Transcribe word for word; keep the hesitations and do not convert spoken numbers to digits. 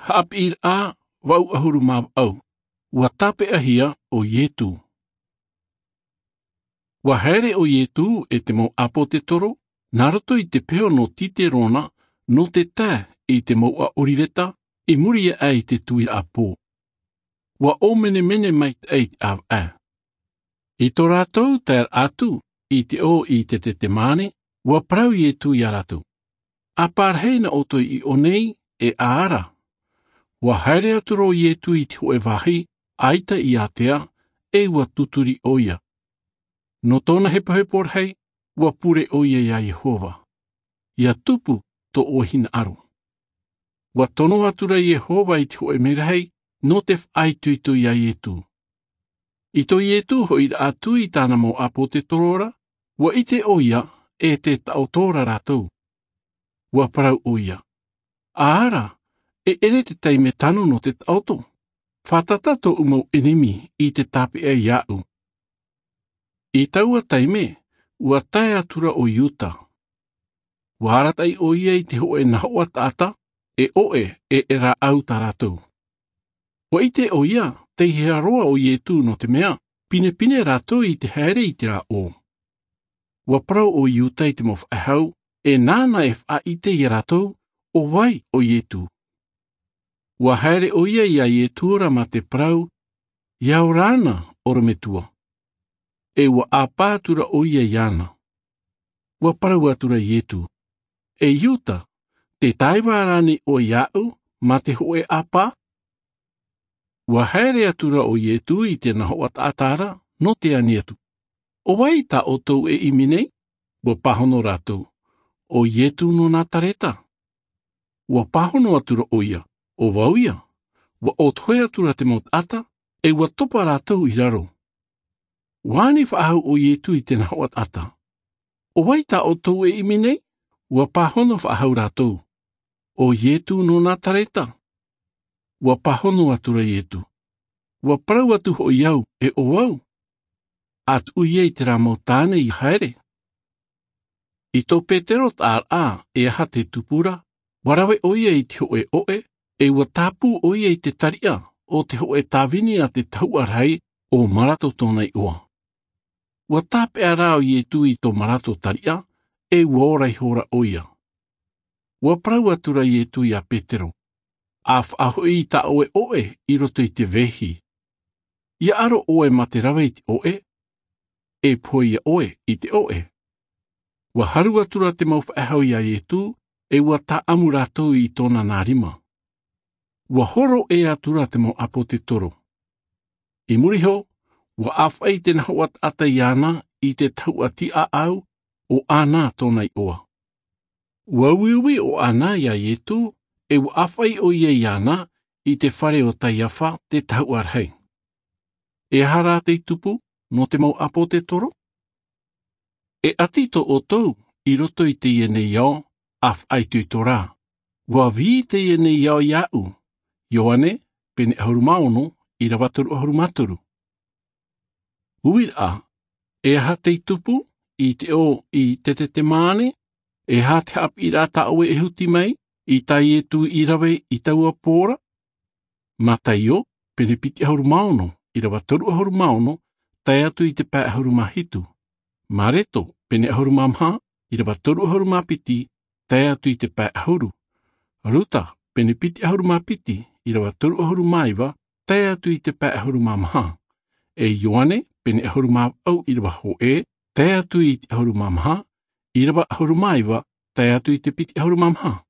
Haʻapiʻiraʻa vaʻu ʻahuru mā vaʻu. Ua tāpeʻahia ʻo Ietu. Ua haere ʻo Ietu e te mau ʻāpōtetoro nā roto i te peho nō Titerona, nō te tae i te mouʻa ʻOriveta, i muri aʻe i te tuiraʻa pō. Ua ʻōmenemene maitaʻi te ʻāvaʻe. I tō rātou taeraʻa atu i te ʻō i Tetetemane, ua parau Ietu iā rātou, ʻa pārahi nā ʻoutou i ʻō nei, e ʻa ara. Ua haere atu rā ʻo Ietu i te hōʻē vāhi ʻaita i ātea, e ua tuturi ʻoia. Nō tōna hepohepo rahi, ua pure ʻoia iā Iehova, ʻia tupu tō ʻoe hinaʻaro. Ua tono atu rā Iehova i te hōʻē merahi nō te faʻaitoito iā Ietu. I tō Ietu hoʻiraʻa atu i tāna mau ʻāpōtetoro ra, ua ʻite ʻoia e te taʻoto ra rātou. Ua parau ʻoia, ʻa ara, e ʻere te taime tano nō te taʻoto. Fātata tōʻu mau ʻenemi i te tāpeʻa iāʻu. I taua taime, ua tae atu rā ʻo Iuta. Ua arataʻi ʻoia i te hōʻē nahoʻa taʻata, e ʻoʻe, e e rāʻau tā rātou. Ua ʻite ʻoia tei hea roa ʻo Ietu, nō te mea pinepine rātou i te haere i te rāʻō. Ua parau ʻo Iuta i te mau faʻehau, e nāna e faʻaʻite iā rātou ʻo vai ʻo Ietu. Ua haere ʻoia iā Ietu ra mā te parau, ʻia ora na, ʻorometua. E ua ʻāpā atu rā ʻoia iāna. Ua parau atu rā Ietu, e Iuta, tē tāiva rānei ʻoe iāʻu mā te hōʻē ʻāpā? Ua haere atu rā ʻo Ietu i te nahoʻa taʻata ra, nō te ani atu, ʻo vai tā ʻoutou e ʻimi nei? Ua pāhono rātou, ʻo Ietu nō Nazareta. Ua pāhono atu rā ʻoia, ʻo vau ïa. Ua ʻōtohe atu rā te mau taʻata, e ua topa rātou i raro. Ua ani faʻahou ʻo Ietu i te nahoʻa taʻata, ʻo vai tā ʻoutou e ʻimi nei? Ua pāhono faʻahou rātou, ʻo Ietu nō Nazareta. Ua pāhono atu rā Ietu, ua parau atu hoʻi au, e ʻo vau. ʻA tuʻu ïa i terā mau tāne ʻia haere. I tō Petero taʻaraʻa, e aha te tupu ra, ua rave ʻoia i te hōʻē ʻoʻe, e ua tāpū ʻoia i te tariʻa o te hōʻē tāvini a te tahuʻa rahi, ʻo Marato tōna iʻoa. Ua tāpeʻa rā ʻo Ietu i tō Marato tariʻa, e ua ora ihora ʻoia. Ua parau atu rā Ietu iā Petero, ʻa faʻahoʻi i tā ʻoe ʻoʻe i roto i te vehi. ʻIa ʻaro ʻoe mā te rave i te ʻoʻe, e pohe ïa ʻoe i te ʻoʻe. Ua haru atu rā te mau faʻehau iā Ietu, e ua tāʻamu rātou i tōna nā rima. Ua hōroʻa atu rā te mau ʻāpōtetoro. I muri iho, ua ʻāfaʻi te nahoʻa taʻata iāna i te tahuʻa tiʻaʻau, ʻo Ana tōna iʻoa. Ua uiui ʻo Ana iā Ietu, e ua ʻāfaʻi ʻoia iāna i te fare o Taiafa te tahuʻa rahi. E aha rā tei tupu nō te mau ʻāpōtetoro? E ʻati tō ʻoutou i roto i teie nei ao, ʻa faʻaitoito rā. Ua vī teie nei ao iāʻu. Ioane, pene ʻahuru mā ono, ʻīrava toru ʻahuru mā toru. Uiraʻa, e aha tei tupu i te ʻō i Tetetemane? E aha te haʻapiʻiraʻa tā ʻoe e huti mai i tā Ietu i rave i taua pō ra? Mataio, pene piti ʻahuru mā ono, ʻīrava toru ʻahuru mā ono, tae atu i te pae ʻahuru mā hitu. Mareto, pene ʻahuru mā maha, ʻīrava toru ʻahuru mā piti, tae atu i te pae ʻahuru. Ruta, pene piti ʻahuru mā piti, ʻīrava toru ʻahuru mā iva, tae atu i te pae ʻahuru mā maha. E Ioane, pene ʻahuru mā vaʻu, ʻīrava hōʻē, tae atu i te ʻahuru mā maha, ʻīrava ʻahuru mā iva, tae atu i te piti ʻahuru mā maha.